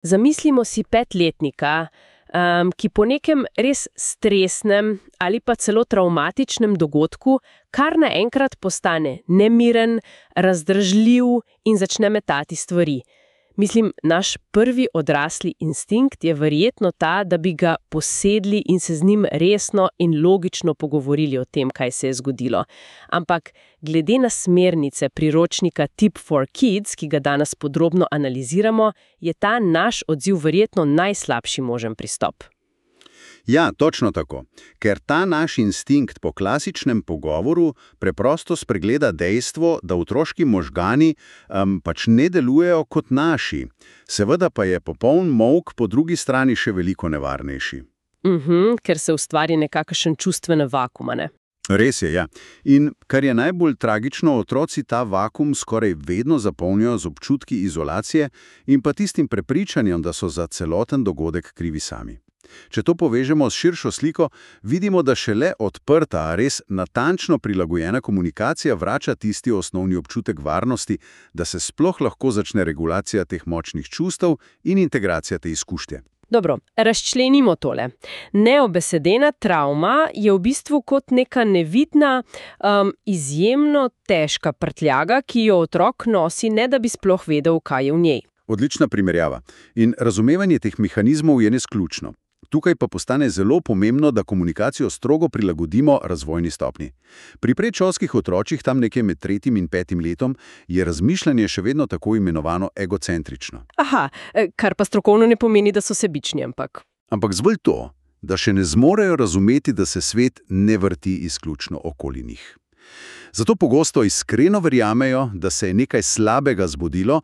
Zamislimo si petletnika, ki po nekem res stresnem ali pa celo travmatičnem dogodku kar naenkrat postane nemiren, razdražljiv in začne metati stvari. Mislim, naš prvi odrasli instinkt je verjetno ta, da bi ga posedli in se z njim resno in logično pogovorili o tem, kaj se je zgodilo. Ampak glede na smernice priročnika Tip for Kids, ki ga danes podrobno analiziramo, je ta naš odziv verjetno najslabši možen pristop. Ja, točno tako. Ker ta naš instinkt po klasičnem pogovoru preprosto spregleda dejstvo, da otroški možgani pač ne delujejo kot naši. Seveda pa je popoln molk po drugi strani še veliko nevarnejši. Ker se ustvari nekakšen čustvene vakuum, ne? Res je, ja. In kar je najbolj tragično, otroci ta vakuum skoraj vedno zapolnijo z občutki izolacije in pa tistim prepričanjem, da so za celoten dogodek krivi sami. Če to povežemo s širšo sliko, vidimo, da šele odprta, res natančno prilagojena komunikacija vrača tisti osnovni občutek varnosti, da se sploh lahko začne regulacija teh močnih čustev in integracija te izkušnje. Dobro, razčlenimo tole. Neobesedena travma je v bistvu kot neka nevidna, izjemno težka prtljaga, ki jo otrok nosi, ne da bi sploh vedel, kaj je v njej. Odlična primerjava. In razumevanje teh mehanizmov je nesključno. Tukaj pa postane zelo pomembno, da komunikacijo strogo prilagodimo razvojni stopnji. Pri predšolskih otročih, tam nekje med 3. in 5. letom, je razmišljanje še vedno tako imenovano egocentrično. Aha, kar pa strokovno ne pomeni, da so sebični, ampak... Ampak zgolj to, da še ne zmorejo razumeti, da se svet ne vrti izključno okoli njih. Zato pogosto iskreno verjamejo, da se je nekaj slabega zgodilo,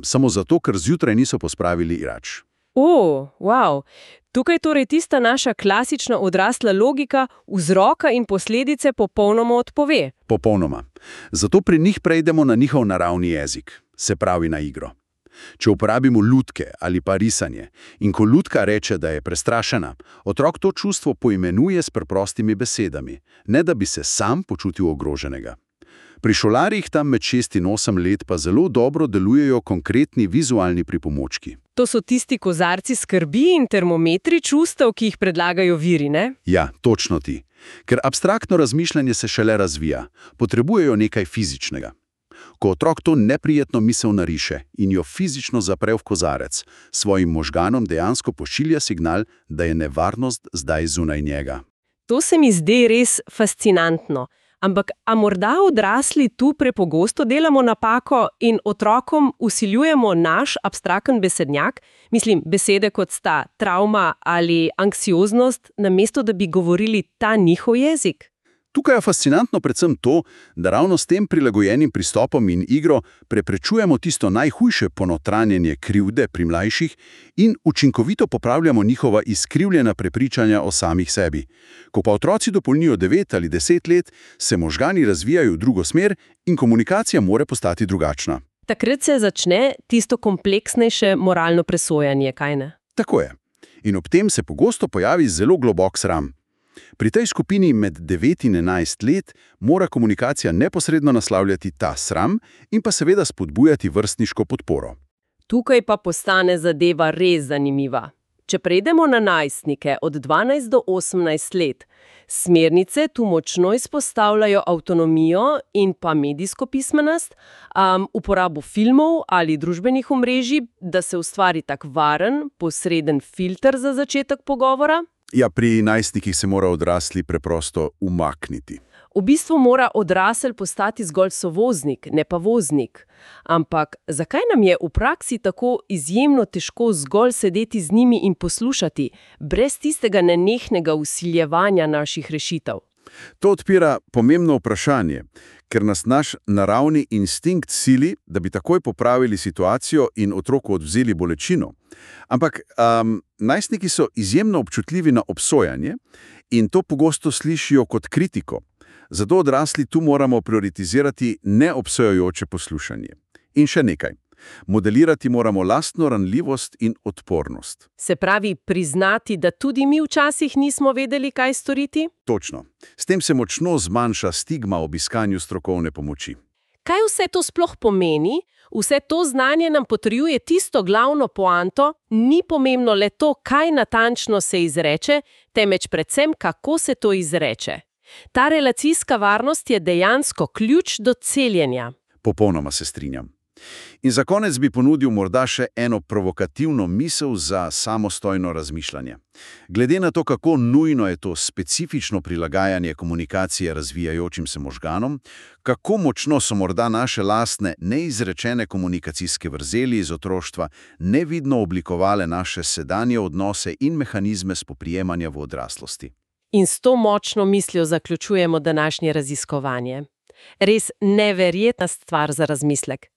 samo zato, ker zjutraj niso pospravili igrač. Wow. Tukaj torej tista naša klasična odrasla logika vzroka in posledice popolnoma odpove. Popolnoma. Zato pri njih prejdemo na njihov naravni jezik, se pravi na igro. Če uporabimo lutke ali pa risanje in ko lutka reče, da je prestrašena, otrok to čustvo poimenuje s preprostimi besedami, ne da bi se sam počutil ogroženega. Pri šolarjih tam med 6 in 8 let pa zelo dobro delujejo konkretni vizualni pripomočki. To so tisti kozarci skrbi in termometri čustev, ki jih predlagajo viri, ne? Ja, točno ti. Ker abstraktno razmišljanje se šele razvija, potrebujejo nekaj fizičnega. Ko otrok to neprijetno misel nariše in jo fizično zapre v kozarec, svojim možganom dejansko pošilja signal, da je nevarnost zdaj zunaj njega. To se mi zdi res fascinantno. Ampak, a morda odrasli tu prepogosto delamo napako in otrokom vsiljujemo naš abstraktni besednjak, mislim, besede kot sta travma ali anksioznost, namesto da bi govorili ta njihov jezik? Tukaj je fascinantno predvsem to, da ravno s tem prilagojenim pristopom in igro preprečujemo tisto najhujše ponotranjenje krivde pri mlajših in učinkovito popravljamo njihova izkrivljena prepričanja o samih sebi. Ko pa otroci dopolnijo 9 ali 10 let, se možgani razvijajo v drugo smer in komunikacija mora postati drugačna. Takrat se začne tisto kompleksnejše moralno presojanje, kaj ne? Tako je. In ob tem se pogosto pojavi zelo globok sram. Pri tej skupini med 9 in 11 let mora komunikacija neposredno naslavljati ta sram in pa seveda spodbujati vrstniško podporo. Tukaj pa postane zadeva res zanimiva. Če prejdemo na najstnike od 12 do 18 let, smernice tu močno izpostavljajo avtonomijo in pa medijsko pismenost, uporabo filmov ali družbenih omrežij, da se ustvari tak varen, posreden filter za začetek pogovora. Ja, pri najstnikih se mora odrasli preprosto umakniti. V bistvu mora odrasel postati zgolj sovoznik, ne pa voznik. Ampak zakaj nam je v praksi tako izjemno težko zgolj sedeti z njimi in poslušati, brez tistega nenehnega vsiljevanja naših rešitev? To odpira pomembno vprašanje, ker nas naš naravni instinkt sili, da bi takoj popravili situacijo in otroku odvzeli bolečino. Ampak najstniki so izjemno občutljivi na obsojanje in to pogosto slišijo kot kritiko. Zato odrasli tu moramo prioritizirati neobsojajoče poslušanje. In še nekaj. Modelirati moramo lastno ranljivost in odpornost. Se pravi, priznati, da tudi mi včasih nismo vedeli, kaj storiti? Točno. S tem se močno zmanjša stigma ob iskanju strokovne pomoči. Kaj vse to sploh pomeni, Vse to znanje nam potrjuje tisto glavno poanto, ni pomembno le to, kaj natančno se izreče, temveč predvsem, kako se to izreče. Ta relacijska varnost je dejansko ključ do celjenja. Popolnoma se strinjam. In za konec bi ponudil morda še eno provokativno misel za samostojno razmišljanje. Glede na to, kako nujno je to specifično prilagajanje komunikacije razvijajočim se možganom, kako močno so morda naše lastne neizrečene komunikacijske vrzeli iz otroštva nevidno oblikovale naše sedanje odnose in mehanizme spoprijemanja v odraslosti. In s to močno mislijo zaključujemo današnje raziskovanje. Res neverjetna stvar za razmislek.